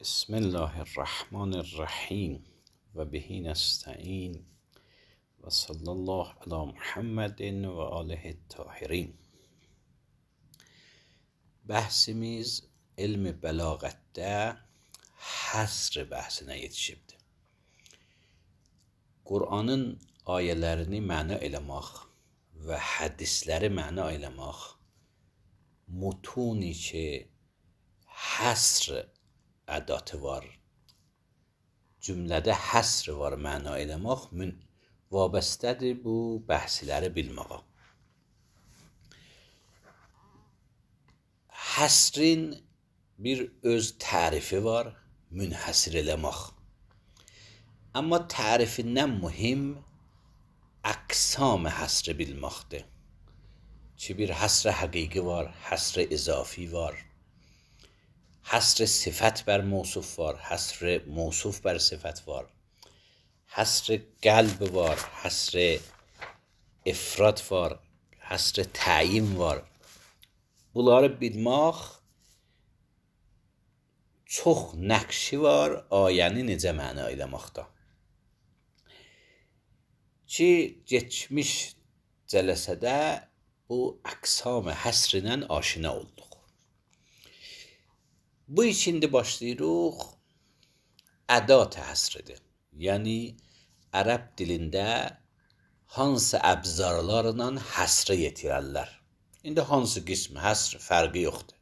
بسم الله الرحمن الرحیم و بهی نستعین و صلی الله علی محمد و آله الطاهرین. Bahsimiz ilmi bəlağətdə həsr bəhsinə yetişibdir. Qur'anın ayələrini məna eləmək və hədisləri məna eləmək, mutuni ki həsr ədatı var, cümlədə həsr var məna eləmək vabəstədir bu bəhsləri bilməyə. Həsrin bir öz tərifi var, münhəsr eləmək. Amma tərifindən mühim əqsam həsri bilməkdir. Ki bir həsr həqiqi var, həsr izafi var, həsr sifət bər mövsuf var, həsr mövsuf bər sifət var, həsr qəlb var, həsr ifrad var, həsr təyin var. Bunları bilmək çox nəqşi var ayəni necə məna eləməkdə. Ki geçmiş cələsədə bu əqsam həsrlə aşina olduq. Bu içində başlayırıq ədat həsridir. Yəni ərəb dilində hansı əbzarlarla həsrə yetirərlər. İndi hansı qismi həsr fərqi yoxdur.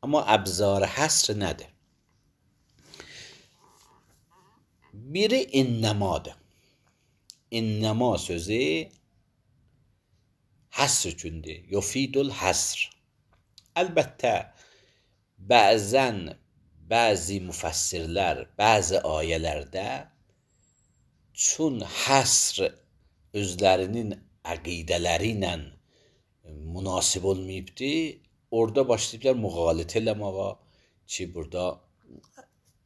Amma əbzar həsr nədir? Biri innəmadır. İnnəma sözü həsr üçündür. Yufidul həsr. Əlbəttə bəzi müfəssirlər bəzi ayələrdə çün həsr özlərinin əqidələri ilə münasib olmayıbdır, orada başlayıblar müğalitə eləməyə ki, burada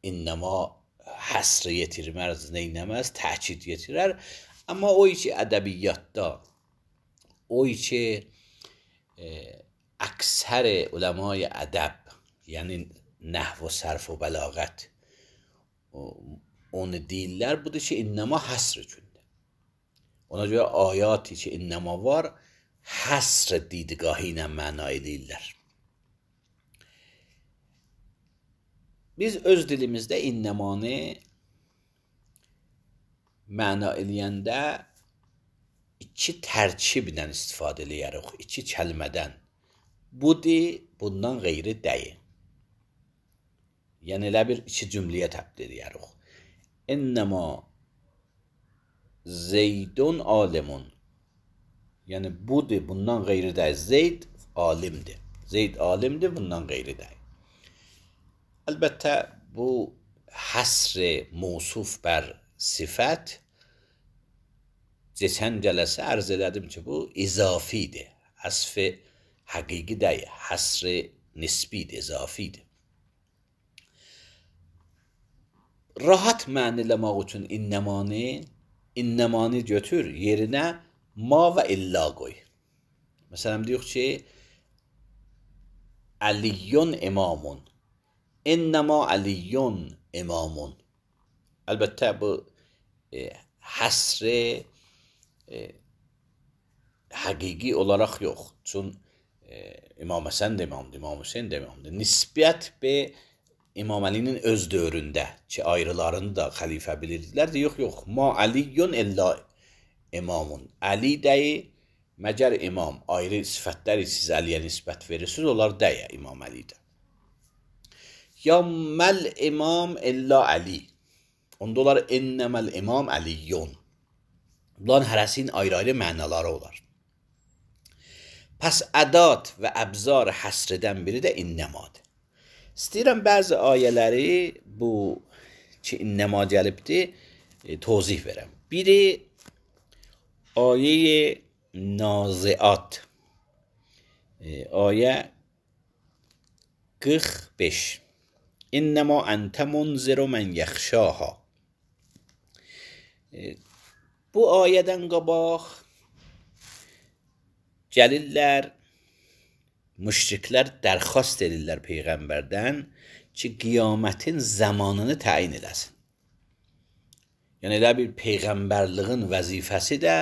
innəma həsr yetirməz, neynəməz, təkid yetirər. Amma o ki ədəbiyyatda, o ki əksər uləmay ədəb, yəni nəhv və sərf və bəlağət onu deyirlər, budur ki, innəma həsr üçündür. Ona görə ayati ki, innəma var, həsr didgahı ilə məna eləyirlər. Biz öz dilimizdə innəmanı məna eləyəndə iki tərkiblə istifadə eləyərik, iki kəlmədən. Budur, bundan qeyri deyil. Yəni elə bir iki cümləyə təbdil eləyərik. İnnəma zeydun alimun. Yəni budur, bundan qeyri deyil. Zeyd alimdir. Zeyd alimdir, bundan qeyri deyil. Əlbəttə bu həsr mövsuf bər sifət keçən cələsə ərz elədim ki, bu izafidir. Həsf həqiqi deyil. Həsr nisbidir, izafidir. Rahat məniləmək üçün innəmanı götür, yerinə ma və illa qoy. Məsələn, deyək ki, Əliyyun imamun. İnnəma Əliyyun imamun. Əlbəttə, bu həsr həqiqi olaraq yox. Çün İmam Həsən də imamdır, İmam Hüseyin də imamdır. Nisbət be İmam Əlinin öz dövründə ki, ayrılarını da xəlifə bilirdilər də, yox, ma Əliyyun illa imamun. Əli dəyi, məgər imam, ayrı sifətləri siz Əliyə nisbət verirsiniz, onlar dəyə İmam Əlidə. Ya məl imam illa Əli. Onda olar innəməl imam Əliyyun. Bunların hərəsinin ayrı-ayrı mənaları olar. Pəs ədat və əbzar həsrdən biri də innəmadır. İstəyirəm bəzi ayələri bu ki innəma gəlibdir tozih verəm. Biri ayə naziat. Ayə 45. İnnəma əntə munziru mən yəxşaha. Bu ayədən qabaq gəlirlər, müşriklər dərxast edirlər Peyğəmbərdən ki qiyamətin zamanını təyin eləsin. Yəni elə bir peyğəmbərliğin vəzifəsi də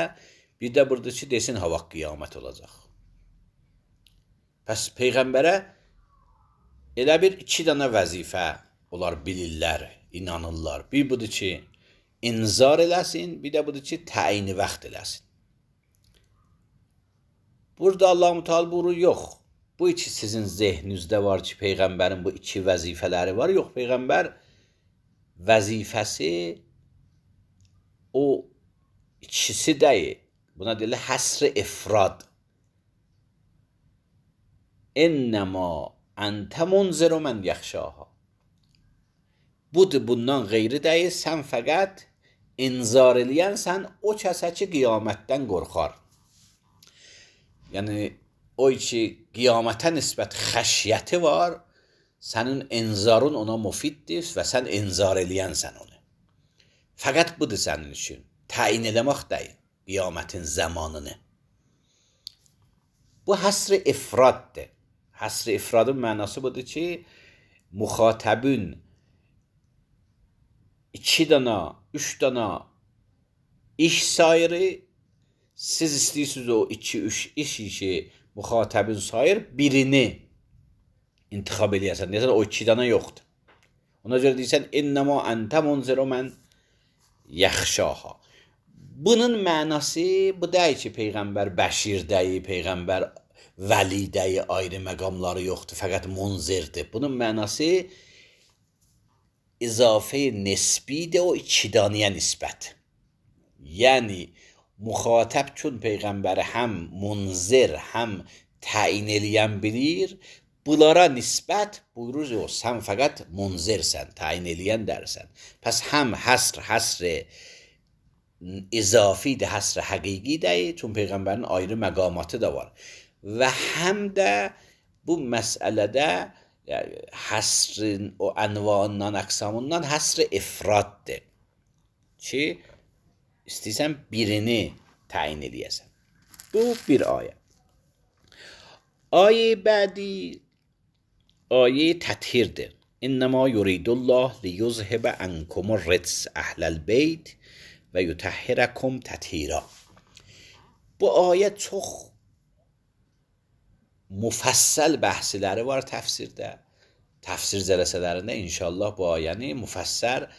bir də burada ki desin ha vaxt qiyamət olacaq. Pəs peyğəmbərə elə bir iki dənə vəzifə onlar bilirlər, inanırlar. Bir budur ki inzar eləsin, bir də budur ki təyini vaxt eləsin. Burada Allah-u Teala buyurur, yox. Bu iki sizin zehninizdə var ki, peyğəmbərin bu iki vəzifələri var. Yox, peyğəmbər vəzifəsi o ikisi deyil. Buna deyilir həsr-i ifrad. İnnəmə əntə munziru mən yaxşaha. Budur, bundan qeyri deyil. Sən fəqət inzar eləyənsən o kəsə ki, qiyamətdən qorxar. Yəni, o ki, qiyamətə nisbət xəşyəti var, sənin inzarın ona mufiddir və sən inzar eləyənsən onu. Fəqət budur sənin üçün. Təyin eləmək deyil, qiyamətin zamanını. Bu həsr-i ifraddır. Həsr-i ifradın mənası budur ki, müxatəbün 2 dana, 3 dana iş sayırı, siz istəyirsiniz o 2-3 işi ki, müxatəbin sayır, birini intixab eləyəsən. Deyəsən, o 2 dana yoxdur. Ona görə deyirsən, innəmə əntə munziru mən yaxşaha. Bunun mənası bu deyil ki, peyğəmbər bəşir deyil, peyğəmbər vəli deyil, ayrı məqamları yoxdur, fəqət munzirdir. Bunun mənası izafə nisbidir o 2 danıya nisbət. Yəni, müxatəb çün peyğəmbəri həm munzir, həm təyin eləyən bilir, bunlara nisbət buyurur, o, sən fəqət munzirsən, təyin eləyən dərsən. Pəs həm həsr izafidir, həsr həqiqi deyil, çün peyğəmbərin ayrı məqamatı da var. Və həm də bu məsələdə həsrin o ənvanından, əqsamından həsr ifraddır ki, İstəyirsən birini təyin eləyəsən. Bu bir ayə. Ayə bədi ayə təthirdir. İnnəmə yuridullah liyuzhibə ənkumur rids əhləl beyt və yutəhhirəkum təthira. Bu ayə çox müfəssəl bəhsləri var təfsirdə. Təfsir cələsələrində inşallah bu ayəni müfəssər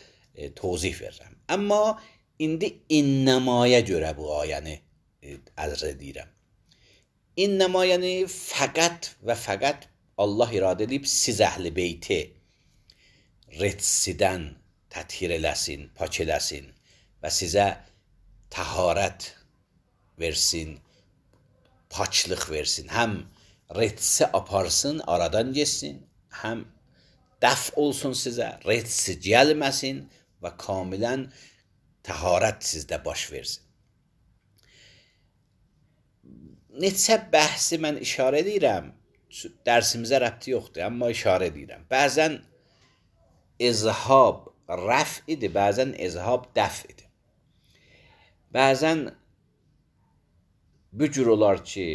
tozih verirəm. Amma indi innəmaya görə bu ayəni ərz edirəm. İnnəma yəni fəqət və fəqət Allah iradə edib siz əhl-i beyti ridsidən təthir eləsin, pak eləsin və sizə təharət versin, paklıq versin. Həm ridsi aparsın, aradan geçsin, həm dəf olsun sizə, ridsi gəlməsin və kamilən təharət sizdə baş versin. Neçə bəhsi mən işarə edirəm, dərsimizə rəbti yoxdur, amma işarə edirəm. Bəzən izhab rəf idi, bəzən izhab dəf idi. Bəzən bu cür olar ki,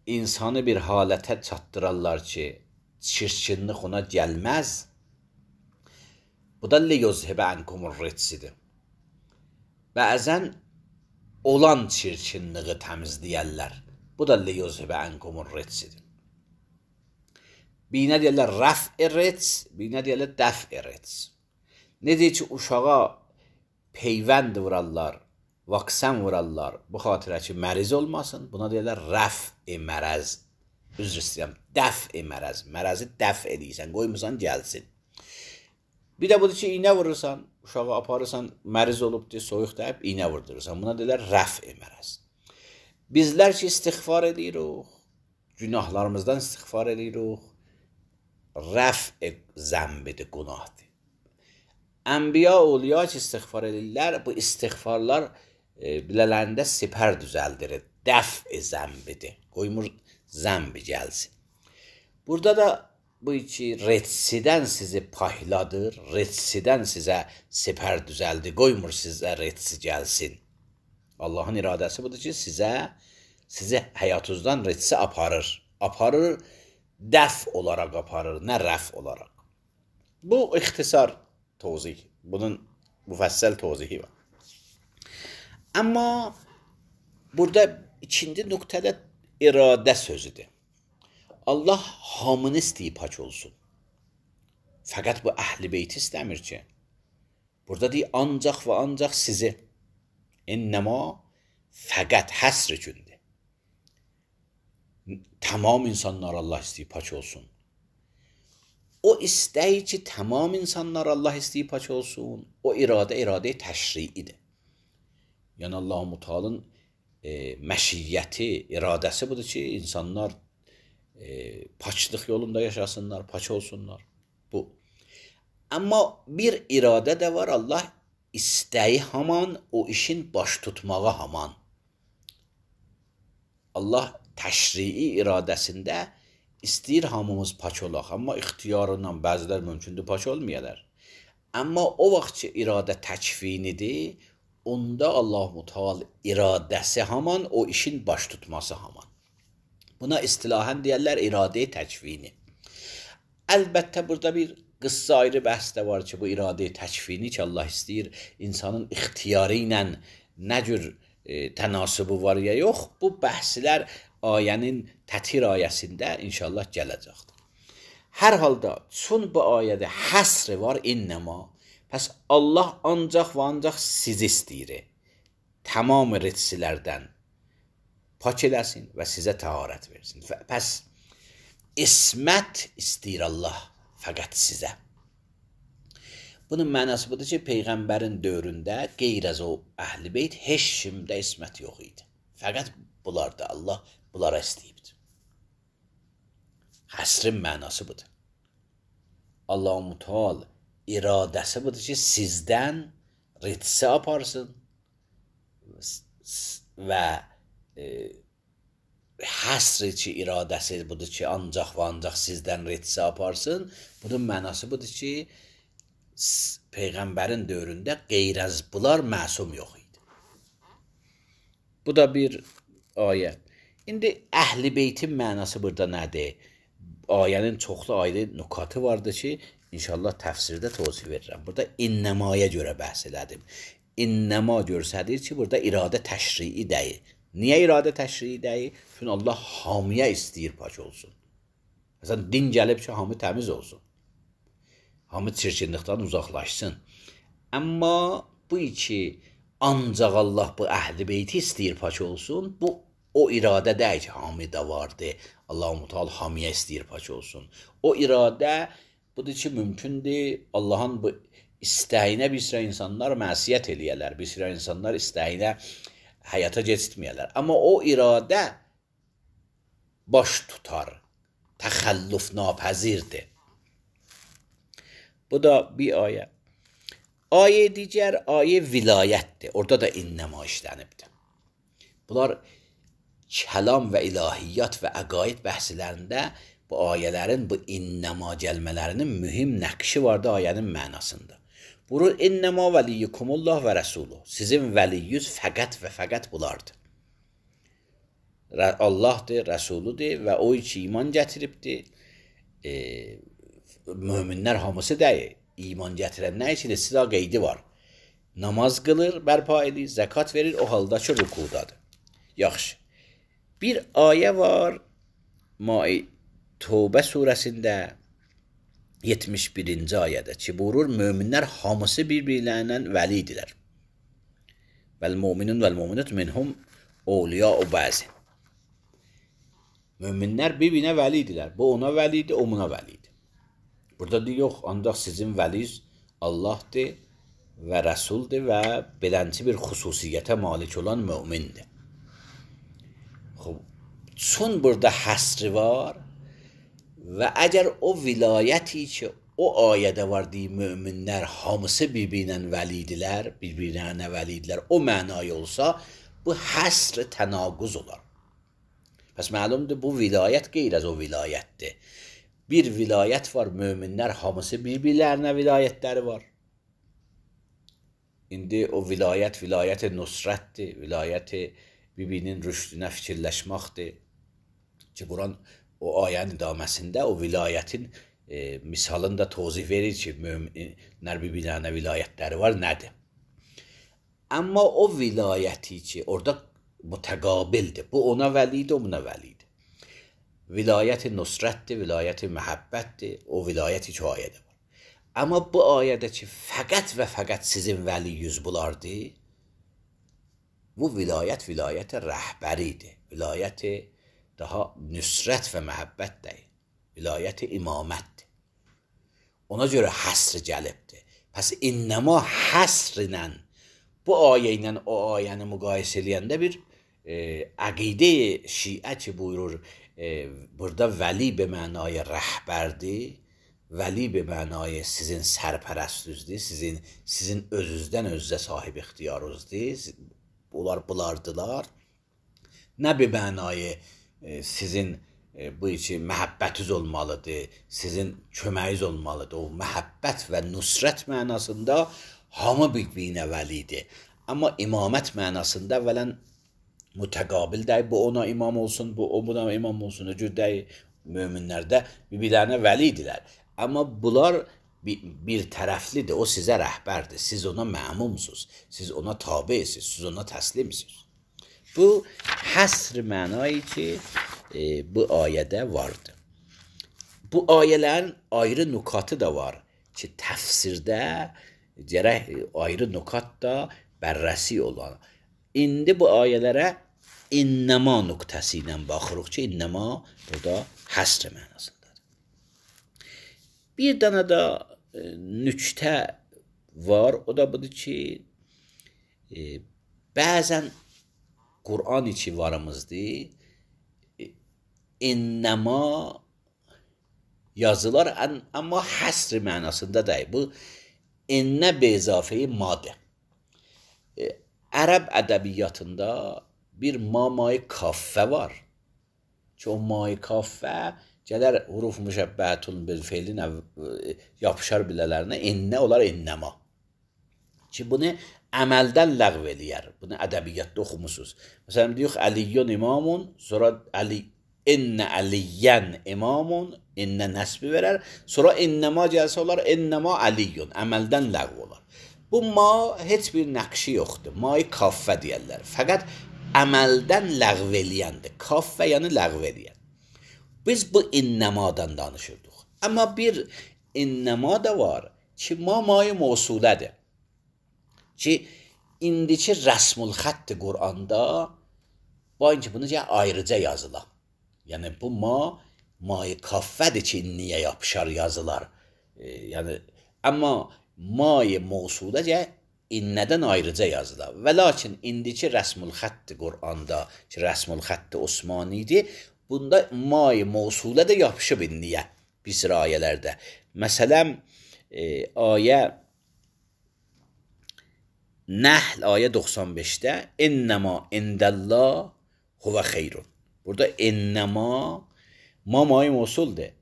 insanı bir halətə çatdırarlar ki, çirkinlik ona gəlməz. Bu da liyuzhibə ənkumur ridsidir. Bəzən olan çirkinliği təmizləyərlər. Bu da liyuzhibə ənkumur ridsidir. Birinə deyərlər rəf-i rids, birinə deyərlər dəf-i rids. Necə ki, uşağa peyvənd vurarlar, vaksən vurarlar, bu xatirə ki, məriz olmasın, buna deyərlər rəf-i mərəz. Üzr istəyirəm, dəf-i mərəz. Mərəzi dəf edirsən, qoymursan gəlsin. Bir də budur ki, iynə vurursan, uşağı aparırsan, məriz olubdur, soyuq deyib, iynə vurdurursan. Buna deyirlər rəf-i mərəz. Bizlər ki, istiğfar edirik, günahlarımızdan istiğfar edirik, rəf-i zəmbidir, günahdır. Ənbiya, awliya ki, istiğfar edirlər, bu istiğfarlar bilələrində sipər düzəldirir, dəf-i zəmbidir, qoymur zəmbi gəlsin. Burada da bu ki, redsidən sizi payladır, redsidən sizə sipər düzəldi, qoymur sizə redsi gəlsin. Allahın iradəsi budur ki, sizi həyatınızdan redsi aparır. Aparır dəf olaraq aparır, nə rəf olaraq. Bu ixtisar tozih. Bunun müfəssəl tozihi var. Amma burada ikinci nöqtədə iradə sözüdür. Allah hamını istəyib pak olsun. Fəqət bu əhl-i beyti istəmir ki. Burada deyir, ancaq və ancaq sizi. İnnəma fəqət həsr üçündür. Tamam insanlar Allah istəyib pak olsun. O istəyi ki, tamam insanlar Allah istəyib pak olsun, o iradə təşriidir. Yəni Allah-u Teala'nın məşiyyəti, iradəsi budur ki, insanlar paçlıq yolunda yaşasınlar, pak olsunlar. Bu. Amma bir iradə də var, Allah istəyi haman, o işin baş tutmağı haman. Allah təşrii iradəsində istəyir hamımız pak olaq, amma ixtiyarından bəzilər mümkündür pak olmayalar. Amma o vaxt ki, iradə təkvinidir, onda Allah-u Teala iradəsi haman, o işin baş tutması haman. Buna istilahən deyərlər iradə-i təkvini. Əlbəttə, burada bir qıssa ayrı bəhs də var ki, bu iradə-i təkvini ki, Allah istəyir, insanın ixtiyarı ilə nə cür tənasübü var ya yox, bu bəhslər ayənin tətir ayəsində inşallah gələcəkdir. Hər halda, çün bu ayədə həsr var, innəma. Pəs Allah ancaq və ancaq sizi istəyir. Tamam ritsilərdən pak eləsin və sizə təharət versin. Pəs ismət istəyir Allah fəqət sizə. Bunun mənası budur ki, Peyğəmbərin dövründə qeyr az o əhl-i beyt heç kimdə ismət yox idi. Fəqət bunlarda Allah bunlara istəyibdir. Həsrin mənası budur. Allah-u Teala iradəsi budur ki, sizdən ritsi aparsın və həsr ki, iradəsi budur ki, ancaq və ancaq sizdən ritsi aparsın. Bunun mənası budur ki, Peyğəmbərin dövründə qeyr az bunlar məsum yox idi. Bu da bir ayə. İndi əhl-i beytin mənası burada nədir? Ayənin çoxlu ayrı nükatı vardır ki, İnşallah təfsirdə tozih verirəm. Burada innəmaya görə bəhs elədim. İnnəma görsədir ki, burada iradə təşrii deyil. Niyə iradə təşrii deyil? Çünki Allah hamıya istəyir pak olsun. Məsələn, din gəlib ki, hamı təmiz olsun. Hamı çirkinlikdən uzaqlaşsın. Amma bu ki, ancaq Allah bu əhl-i beyti istəyir pak olsun, bu o iradə deyil ki, hamıda vardır. Allah-u Teala hamıya istəyir pak olsun. O iradə budur ki, mümkündür Allahın bu istəyinə bir sıra insanlar məsiyyət eləyərlər, bir sıra insanlar istəyinə həyata keçirtməyərlər. Amma o iradə baş tutar, təxəllüf napəzirdir. Bu da bir ayə. Ayə digər, ayə vilayətdir. Orada da innəma işlənibdir. Bunlar kəlam və ilahiyyat və əqaid bəhslərində bu ayələrin, bu innəma gəlmələrinin mühüm nəqşi vardı ayənin mənasında. Burur, innəma vəliyyukumullah və rəsuluh. Sizin vəliyyüz fəqət və fəqət bulardır. Allahdır, rəsuludur və o ki iman gətiribdir. Möminlər hamısı deyil. İman gətirən nə üçün? Silah qeydi var. Namaz qılır, bərpa edir, zəkat verir, o halda ki rükudadır. Yaxşı. Bir ayə var, Tövbə surəsində 71-ci ayədə ki, buyurur, möminlər hamısı bir-birlərinə vəlidirlər. Vəl-mu'minun vəl-mu'minat minhum awliya'u ba'zin. Möminlər bir-birinə vəlidirlər. Bu ona vəlidir, o buna vəlidir. Burada deyir, yox, ancaq sizin vəliz Allahdır və Rəsuldur və belənci bir xüsusiyyətə malik olan mömindir. Çün burada həsri var və əgər o vilayəti ki, o ayədə var deyir, möminlər hamısı bir-birinə vəlidirlər, bir-birinə vəlidirlər, o mənayı olsa, bu həsr tənaquz olar. Pəs məlumdur, bu vilayət qeyr az o vilayətdir. Bir vilayət var, möminlər hamısı bir-birlərinə vilayətləri var. İndi o vilayət nusrətdir, vilayət bir-birinin rüşdünə fikirləşməkdir. Ki, Quran o ayənin idaməsində o vilayətin misalını da tozih verir ki, möminlər bir-birlərinə vilayətləri var, nədir? Amma o vilayəti ki, orada mütəqabildir. Bu ona vəlidir, o buna vəlidir. Vilayət-i nusrətdir, vilayət-i məhəbbətdir, o vilayəti ki, o ayədə var. Amma bu ayədə ki, fəqət və fəqət sizin vəliyüz bulardır, bu vilayət rəhbəridir. Vilayət daha nüsrət və məhəbbət deyil. Vilayət imamətdir. Ona görə həsr gəlibdir. Pəs innəma həsr ilə bu ayə ilə o ayəni müqayisə eləyəndə bir əqidə şiə ki buyurur, burada vəli be mənaya rəhbərdir, vəli be mənaya sizin sərpərəstüzdür, sizin özünüzdən özünüzə sahib ixtiyarınızdır, bulardılar. Nə be mənaya sizin bu içi məhəbbətiniz olmalıdır, sizin köməyiniz olmalıdır. O məhəbbət və nusrət mənasında hamı bir-birinə vəlidir. Amma imamət mənasında əvvələn mütəqabil deyil, bu ona imam olsun, bu o buna imam olsun, o cür deyil. Möminlərdə bir-birlərinə vəlidirlər. Amma bunlar bir tərəflidir, o sizə rəhbərdir, siz ona məmumsuz, siz ona tabesiz, siz ona təslimsiz. Bu həsr mənayı ki, bu ayədə vardır. Bu ayələrin ayrı nukatı da var ki, təfsirdə gərək ayrı nukat da bərrəsi olan. İndi bu ayələrə innəma nöqtəsi ilə baxırıq ki, innəma burada həsr mənasındadır. Bir dənə də nüktə var, o da budur ki, bəzən Qur'an içi varımızdır, innəma yazılar, amma həsr mənasında deyil. Bu, innə bezafeyi madır. Ərəb ədəbiyyatında bir ma-mai kaffə var ki, o ma-i kaffə gələr huruf müşəbbəhətun bil feilin yapışar bilələrinə, innə olar innəma. Ki, bunu əməldən ləğv eləyər. Bunu ədəbiyyatda oxumusunuz. Məsələn, deyək, Əliyyun imamun, sonra innə əliyyən imamun, innə nəsbi verər, sonra innəma gəlsə olar, innəma əliyyun, əməldən ləğv olar. Bu ma heç bir nəqşi yoxdur. Ma-i kaffə deyərlər. Fəqət əməldən ləğv eləyəndir. Kaffə yəni ləğv eləyən. Biz bu innəmadan danışırdıq. Amma bir innəma da var ki, ma-mai mövsulədir. Ki, indiki rəsmül xətt Qur'anda bain ki, bunu ayrıca yazılar. Yəni, bu ma-i kaffədir ki, inniyə yapışar yazılar. Yəni, amma ma-i mövsulə innədən ayrıca yazılar. Və lakin indiki rəsmül xətt Qur'anda ki, rəsmül xətt Osmanidir, bunda ma-i mövsulə də yapışıb inniyə bir sıra ayələrdə. Məsələn, ayə Nəhl ayə 95-də innəma indəllah huvə xeyrun. Burada innəma ma-mai mövsuldur.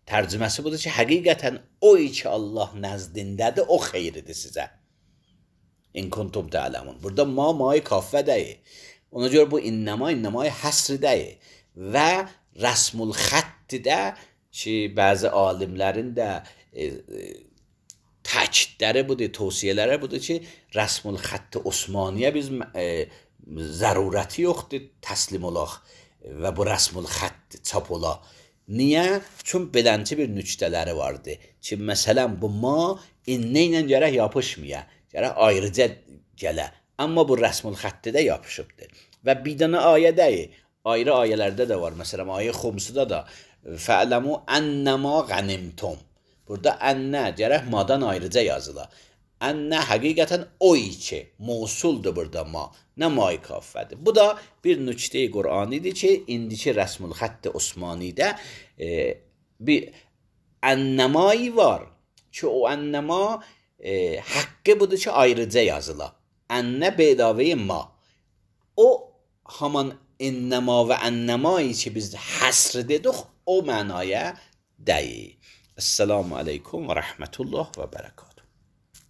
Tərcüməsi budur ki, həqiqətən o ki Allah nəzdindədir, o xeyridir sizə. İn kuntum tə'ləmun. Burada ma-mai kaffə deyil. Ona görə bu innəma həsr deyil. Və rəsmül xəttidə ki, bəzi alimlərin də təkidləri budur, tövsiyələri budur ki, rəsmül xətt Osmaniyə biz zərurəti yoxdur, təslim olaq və bu rəsmül xətt çap olaq. Niyə? Çünki belənci bir nüktələri vardır ki, məsələn, bu ma innə ilə gərək yapışmaya, gərək ayrıca gələ. Amma bu rəsmül xəttidə yapışıbdır. Və bir dənə ayə deyil, ayrı ayələrdə də var. Məsələn, ayə xumsuda da fə'ləmu ənəmə qənimtum. Burada ənnə gərək madan ayrıca yazılar. Ənnə həqiqətən o ki, mövsuldur burada ma, nə ma-i kaffədir. Bu da bir nüktə-i Qur'anidir ki, indiki rəsmül xətt Osmanidə bir ənəmayı var ki, o ənəma haqqı budur ki, ayrıca yazılar. Ənnə bedavəyi ma. O haman innəma və ənəmayı ki, biz həsr dedik, o mənaya deyil. Esselamu aleykum və rəhmətullah və bərəkət.